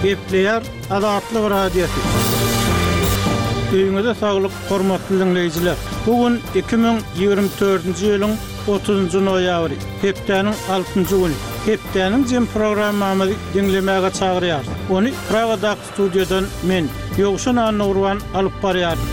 Gepleýär Azatlyk Radiosy. Öýüňize saglyk, hormatly diňleýjiler! Bu gün 2024-nji ýylyň 30-njy noýabry, hepdäniň altynjy güni. Hepdäniň jem programmamyzy diňlemäge çagyrýarys. Ony Pragadaky studiýadan men, Ýowşan Annagurban alyp barýaryn.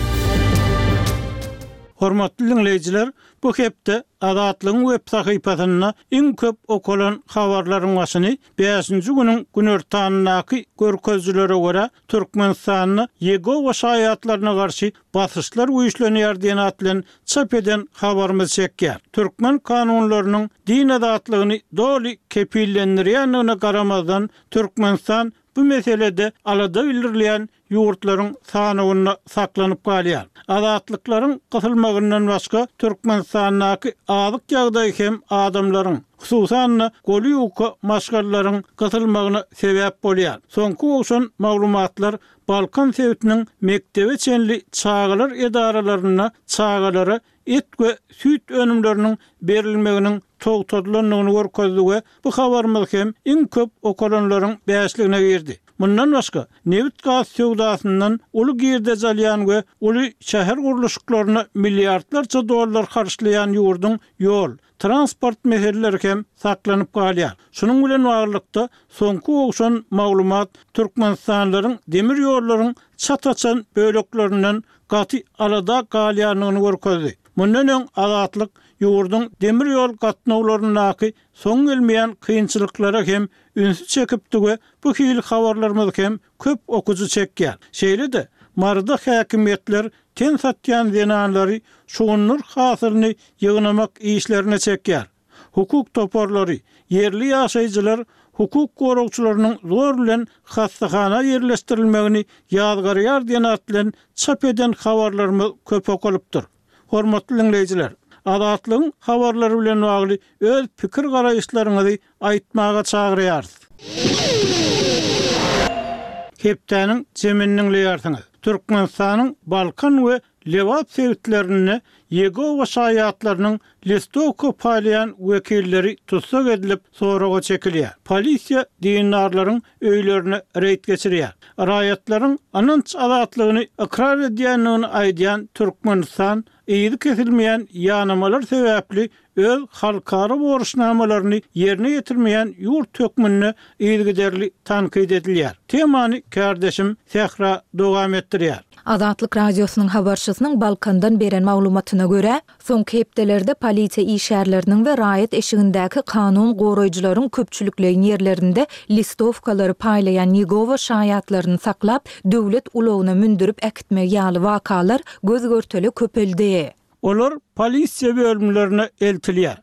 Hormatly diňleýjiler, bu hepde Azatlygyň web sahypasynda iň köp okalan habarlaryň başyny bäşinji günüň günortanyndaky görkezijilere görä, Türkmenistanda Ýegowa şaýatlaryna garşy basyşlar güýçlenýär diýen at bilen çap eden habarymyz çekýär. Türkmen kanunlarynyň din azatlygyny doly kepillendirýändigine garamazdan, Türkmenistan bu meselede alada bildirilýän ýurtlaryň sanawynda saklanyp galýar. Azatlyklaryň gysylmagyndan başga, Türkmenistandaky azyk ýagdaýy hem adamlaryň, hususan-da, goly ýuka maşgalalaryň gysylmagyna sebäp bolýar. Soňky gowşan maglumatlar Balkan sebitiniň mekdebe çenli çagalar edaralarynda çagalara et we süýt önümleriniň berilmeginiň togtadylandygyny görkezdi we bu habarymyz hem iň köp okalanlaryň bäşligine girdi. Mundan başga, nebit-gaz söwdasyndan uly girdeji alýan we uly şäher gurluşyklaryna milliardlarça dollar harçlaýan ýurduň ýol, transport meseleleri hem saklanyp galýar. Şunuň bilen baglylykda, soňky gowşan maglumat türkmenistanlylaryň demir ýollaryň çat açan böleklerinden gaty alada galýandygyny görkezdi. Mundan öň Azatlyk ýurduň demir ýol gatnawlaryndaky soň gelmeýän kynçylyklara hem ünsi çekipdi we bu hili habarlarymyz hem köp okyjy çekýär. Şeýle-de, Maryda häkimiýetler ten satýan zenanlary şugundyr hasylyny ýygnamak işlerine çekýär. Hukuk toparlary, ýerli ýaşaýjylar hukuk goragçylarynyň zor bilen hassahana ýerleşdirilmegini ýazgarýar diýen at bilen çap eden habarlarymyz köp okalypdyr. Hormatly diňleýjiler, Azatlygyň habarlary bilen bagly öz pikir-garaýyşlaryňyzy aýtmaga çagyrýarys. Hepdäniň jemini diňleýärsiňiz. Türkmenistanyň Balkan we Lebap sebitlerinde Ýegowa şaýatlarynyň listowka paýlaýan wekilleri tussag edilip, soraga çekilýär. Polisiýa dindarlaryň öýlerine reýd geçirýär. Raýatlaryň ynanç azatlygyny ykrar edýändigini aýdýan Türkmenistan yzy kesilmeýän ýanamalar sebäpli öz halkara borçnamalaryny ýerine ýetirmeýän ýurt hökmünde yzygiderli tankyt edilýär. Temany kärdeşim Sähra dowam etdirýär. Azatlyk Radiosynyň habarçysynyň Balkandan beren maglumatyna görä, soňky hepdelerde polisiýa işgärleriniň we raýat eşigindäki kanun goraýjylaryň köpçülikleýin ýerlerinde listowkalary paýlaýan Ýegowa şaýatlaryny saklap, döwlet ulagyna mündürip äkitmegi ýaly wakalar göz-görtele köpeldi. Olar polisiýa bölümlerine eltilýär.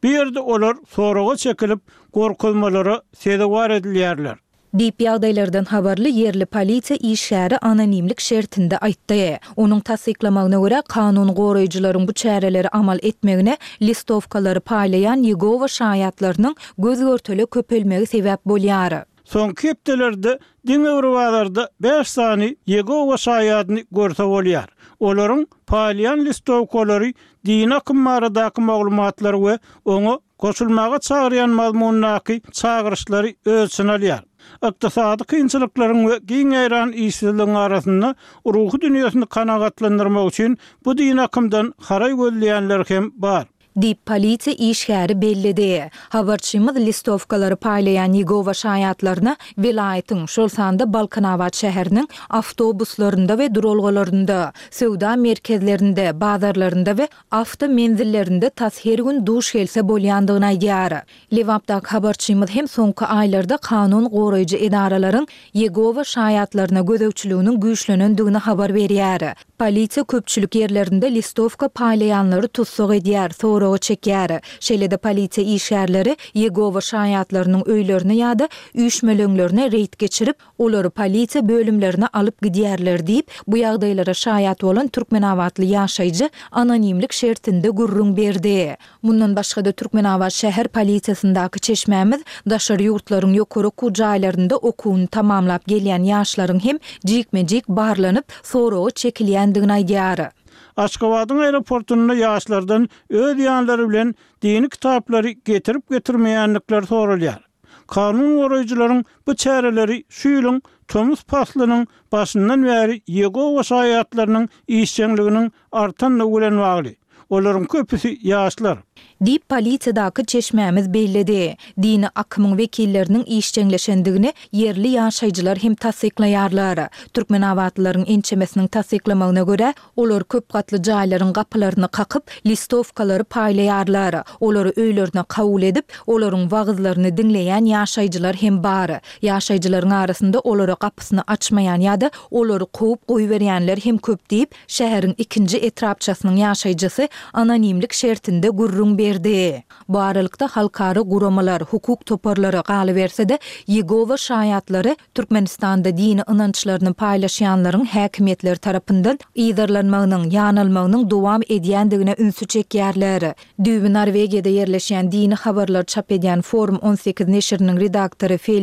Bu ýerde olar soraga çekilip, gorkuzmalara sezewar edilýärler. Diýip, ýagdaýlardan habarly ýerli polisiýa işgäri anonimlik şertinde aýtdy. Onuň tassyklamagyna görä, kanun goraýjylaryň bu çäreleri amal etmegine listowkalary paýlaýan Ýegowa şaýatlarynyň göz-görtele köpelmegi sebäp bolýar. Soňky hepdelerde diňe bir bazarda bäş sany Ýegowa şaýadyny görse bolýar. Olaryň paýlaýan listowkalary dini akym baradaky maglumatlary we oňa goşulmaga çagyrýan mazmundaky çagyryşlary öz içine alýar. Ykdysady kynçylyklaryň we giň ýaýran işsizligiň arasynda ruhy dünýesini kanagatlandyrmak üçin bu dini akymdan haraý gözleýänler hem bar. Diýip, polisiýa işgäri belledi. Habarçymyz listowkalary paýlaýan Ýegowa şaýatlaryna welaýatyň, şol sanda Balkanabat şäheriniň awtobuslarynda we duralgalarynda, söwda merkezlerinde, bazarlarynda we awto menzillerinde tas her gün duş gelse bolýandygyny aýdýar. Lebapdaky habarçymyz hem soňky aýlarda kanun goraýjy edaralaryň Ýegowa şaýatlaryna gözegçiliginiň güýçlenendigini habar berýär. Polisiýa köpçülik ýerlerinde listowka paýlaýanlary tussag edýär, soraga çekýär. Şeýle-de polisiýa işgärleri Ýegowa şaýatlarynyň öýlerine ýa-da üýşmeleňlerine reýd geçirip, olary polisiýa bölümlerine alyp gidýärler diýip, bu ýagdaýlara şaýat bolan türkmenabatly ýaşaýjy anonimlik şertinde gürrüň berdi. Mundan başga-da Türkmenabat şäher polisiýasyndaky çeşmämiz daşary ýurtlaryň ýokary okuw jaýlarynda okuwyny tamamlap gelýän ýaşlaryň hem jikme-jik barlanyp, soraga çekilýändigini aýdýar. Aşgabadyň aeroportunda ýaşlardan öz ýanlary bilen dini kitaplary getirip-getirmeýändikleri soralýar. Kanun goraýjylaryň bu çäreleri şu ýylyň tomus paslynyň başyndan bäri Ýegowa şaýatlarynyň işjeňliginiň artandygy bilen bagly. Olaryň köpüsi ýaşlar. Diýip, polisiýadaky çeşmämiz belledi. Dini akymyň wekilleriniň işjeňleşendigini ýerli ýaşaýjylar hem tassyklaýarlar. Türkmenabatlylaryň ençemesiniň tassyklamagyna görä, olar köp gatly jaýlaryň gapylaryny kakyp, listowkalary paýlaýarlar. Olary öýlerine kabul edip, olaryň wagyzlaryny diňleýän ýaşaýjylar hem bar. Ýaşaýjylaryň arasynda olara gapysyny açmaýan ýa-da olary kowup goýberýänler hem köp diýip, şäheriň ikinji etrapçasynyň ýaşaýjysy anonimlik şertinde gürrüň berdi. Bu aralykda, halkara guramalar, hukuk toparlary, galyberse-de, Ýegowa şaýatlary Türkmenistanda dini ynançlaryny paýlaşýanlaryň häkimiýetler tarapyndan yzarlanmagynyň, ýanalmagynyň dowam edýändigine ünsi çekýärler. Düýbi Norwegiýada ýerleşýän dini habarlary çap edýän Forum 18 neşiriniň redaktory Feliks.